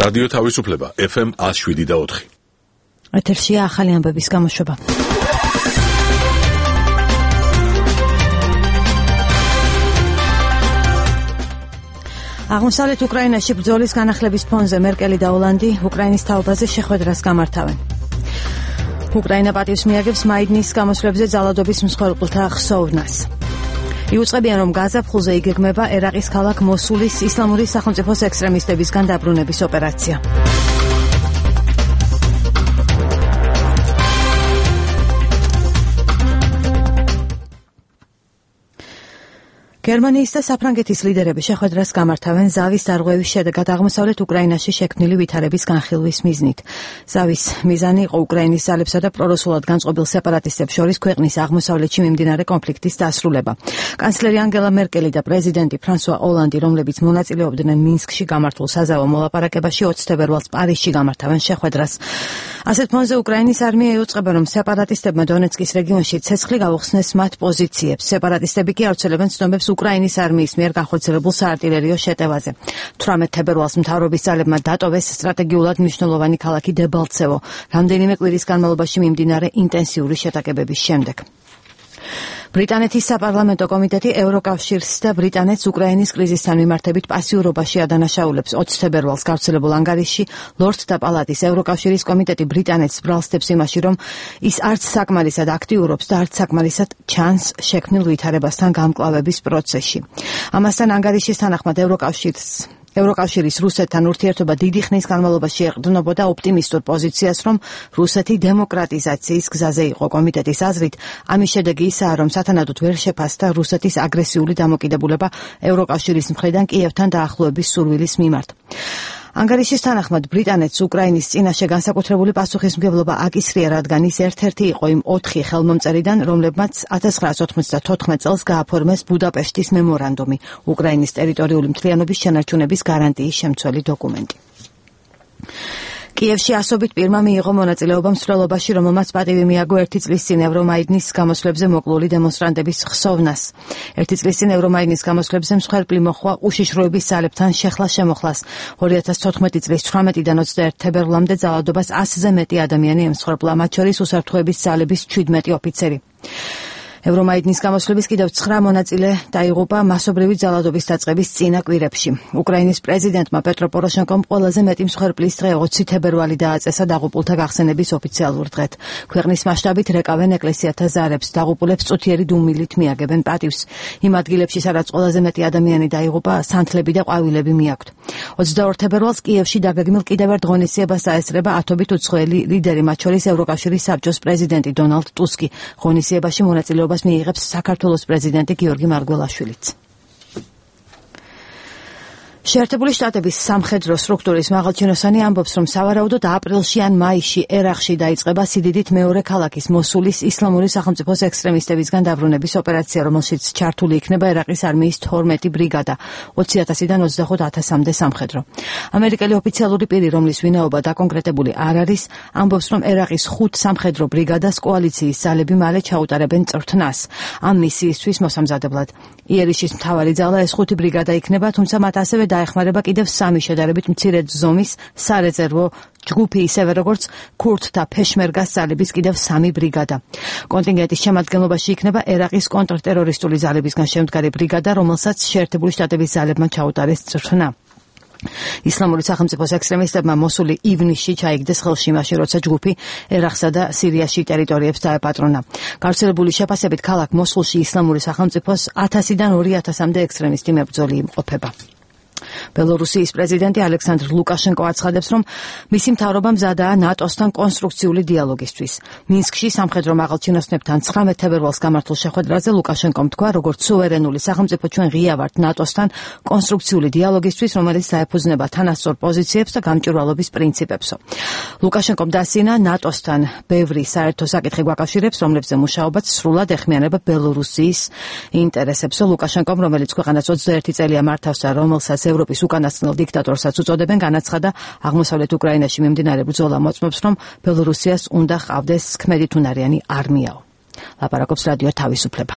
რადიო თავისუფლება FM 107.4. ეთერშია ახალი ამბების გამოშვება. აღმოსავლეთ უკრაინაში ბრძოლის განახლების ფონზე მერკელი და ოლანდი უკრაინის თაობაზე შეხვედრას გამართავენ. უკრაინა პატივს მიაგებს მაიდნის გამოსვლებზე ძალადობის მსხვერპლთა ხსოვნას. იუწყებიან, რომ გაზა ფხულზე იგეგმება ერაყის ქალაქ მოსულის ისლამური სახელმწიფოს ექსტრემისტებისგან დაბრუნების ოპერაცია. გერმანიის და საფრანგეთის ლიდერები შეხვედრას გამართავენ ზავის დარღვევის შედეგად აღმოსავლეთ უკრაინაში შექმნილი ვითარების განხილვის მიზნით. ზავის მიზანი იყო უკრაინის ძალებსა და პრორუსულად განწყობილ სეპარატისტებს შორის ქვეყნის აღმოსავლეთში მიმდინარე კონფლიქტის დასრულება. კანცლერი ანგელა მერკელი და პრეზიდენტი ფრანსუა ოლანდი, რომლებიც მონაწილეობდნენ მინსკში გამართულ საზავო მოლაპარაკებაში 20 თებერვალს პარიზში გამართავენ შეხვედრას. ასეთ ფონზე უკრაინის არმია იუწყება, რომ სეპარატისტებმა დონეცკის რეგიონში ცეცხლი გაუხსნეს მათ პოზიციებს. სეპარატისტები კი ავრცელებენ ცნობებს უკრაინის არმიის მიერ განხორციელებულ საარტილერიო შეტევაზე. 18 თებერვალს მთავრობის ძალებმა დატოვეს სტრატეგიულად მნიშვნელოვანი ქალაქი დებალცევო, რამდენიმე კვირის განმავლობაში მიმდინარე ინტენსიური შეტაკებების შემდეგ. ბრიტანეთის საპარლამენტო კომიტეტი ევროკავშირს და ბრიტანეთს უკრაინის კრიზისთან მიმართებით პასიურობაში ადანაშაულებს. 20 თებერვალს გავრცელებულ ანგარიშში ლორდთა პალატის ევროკავშირის კომიტეტი ბრიტანეთს ბრალსდებს იმაში, რომ ის არც საკმარისად აქტიურობს და არც საკმარისად ჩანს შექმნილ ვითარებასთან გამკლავების პროცესში. ამასთან ანგარიშის თანახმად ევროკავშირის რუსეთთან ურთიერთობა დიდი ხნის განმავლობაში ეყრდნობოდა ოპტიმისტურ პოზიციას, რომ რუსეთი დემოკრატიზაციის გზაზე იყო. კომიტეტის აზრით, ამის შედეგი ისაა, რომ სათანადოდ ვერ შეფასდა რუსეთის აგრესიული დამოკიდებულება ევროკავშირის მხრიდან კიევთან დაახლოების სურვილის მიმართ. ანგარიშის თანახმად ბრიტანეთს უკრაინის წინაშე განსაკუთრებული პასუხისმგებლობა აკისრია, რადგან ის ერთ-ერთი იყო იმ 4 ხელმომწერიდან, რომლებმაც 1994 წელს გააფორმეს ბუდაპეშტის მემორანდუმი, უკრაინის ტერიტორიული მთლიანობის შენარჩუნების გარანტიის შემცველი დოკუმენტი. კიევში ასობით პირმა მიიღო მონაწილეობა მსვლელობაში, რომელმაც პატივი მიაგო 1 წლის წინ ევრომაიდნის გამოსვლებზე მოკლული დემონსტრანტების ხსოვნას. 1 წლის წინ ევრომაიდნის გამოსვლებზე მსხვერპლი მოხვა უშიშროების ძალებთან შეხლა-შემოხლას. 2014 წლის 18-დან 21 თებერვლამდე ძალადობას 100-ზე მეტი ადამიანი ემსხვერპლა, მათ შორის უსაფრთხოების ძალების 17 ოფიცერი. ევრომაიდნის გამოსვლების კიდევ 9 მონაწილე დაიღუპა მასობრივი ძალადობის დაწყების წინა კვირებში. უკრაინის პრეზიდენტმა პეტრო პოროშენკომ ყველაზე მეტი მსხვერპლის დღე 20 თებერვალი დააწესა დაღუპულთა გახსენების ოფიციალურ დღედ. ქვეყნის მასშტაბით რეკავენ ეკლესიათა ზარებს, დაღუპულებს წუთიერი დუმილით მიაგებენ პატივს. იმ ადგილებში, სადაც ყველაზე მეტი ადამიანი დაიღუპა, სანთლები და ყვავილები მიაქვთ. 22 თებერვალს კიევში დაგეგმილ კიდევ ერთ ღონისძიებას დაესწრება ათობით უცხოელი ლიდერი, მათ შორის ევროკავშირის საბჭოს პრეზიდენტი დონალდ ტუსკი. ღონისძიებაში მონაწილეობას მიიღებს საქართველოს პრეზიდენტი გიორგი მარგველაშვილიც. შეერთებული შტატების სამხედრო სტრუქტურის მაღალჩინოსანი ამბობს, რომ სავარაუდოდ აპრილში ან მაისში ერაყში დაიწყება სიდიდით მეორე ქალაქის მოსულის ისლამური სახელმწიფოს ექსტრემისტებისგან დაბრუნების ოპერაცია, რომელშიც ჩართული იქნება ერაყის არმიის 12 ბრიგადა, 20,000-დან 25,000-მდე სამხედრო. ამერიკელი ოფიციალური პირი, რომლის ვინაობა დაკონკრეტებული არ არის, ამბობს, რომ ერაყის 5 სამხედრო ბრიგადას კოალიციის ძალები მალე ჩაუტარებენ წვრთნას ამ მისიისთვის მოსამზადებლად. იერიშის მთავარი ძალა ეს 5 ბრიგადა იქნება, თუმცა მათ ასევე დაეხმარება კიდევ 3 შედარებით მცირე ზომის სარეზერვო ჯგუფი, ისევე როგორც ქურთთა ფეშმერგას ძალების კიდევ 3 ბრიგადა. კონტინგენტის შემადგენლობაში იქნება ერაყის კონტრტერორისტული ძალებისგან შემდგარი ბრიგადა, რომელსაც შეერთებული შტატების ძალებმა ჩაუტარეს წვრთნა. ისლამური სახელმწიფოს ექსტრემისტებმა მოსული ივნისში ჩაიგდეს ხელში, მაშინ როცა ჯგუფი ერაყსა და სირიაში ტერიტორიებს დაეპატრონა. გავრცელებული შეფასებით ქალაქ მოსულში ისლამური სახელმწიფოს 1000-დან 2000-მდე ექსტრემისტი მებრძოლი იმყოფება. ბელორუსიის პრეზიდენტი ალექსანდრ ლუკაშენკო აცხადებს, რომ მისი მთავრობა მზადაა ნატოსთან კონსტრუქციული დიალოგისთვის. მინსკში სამხედრო მაღალჩინოსნებთან 19 თებერვალს გამართულ შეხვედრაზე ლუკაშენკომ თქვა, როგორც სუვერენული სახელმწიფო ჩვენ ღია ვართ ნატოსთან კონსტრუქციული დიალოგისთვის, რომელიც დაეფუძნება თანასწორ პოზიციებს და გამჭვირვალობის პრინციპებსო. ლუკაშენკომ დასცინა ნატოსთან ბევრი საერთო საკითხი გვაკავშირებს, რომლებზე მუშაობაც სრულად ეხმიანება ბელორუსიის ინტერესებსო. ლუკაშენკომ, რომელიც ქვეყანას 21 წელია მართავს და რომელსაც ევროპის უკანასკნელ დიქტატორსაც უწოდებენ, განაცხადა აღმოსავლეთ უკრაინაში მიმდინარე ბრძოლა მოწმობს, რომ ბელორუსიას უნდა ჰყავდეს ქმედითუნარიანი არმიაო. ლაპარაკობს რადიო თავისუფლება.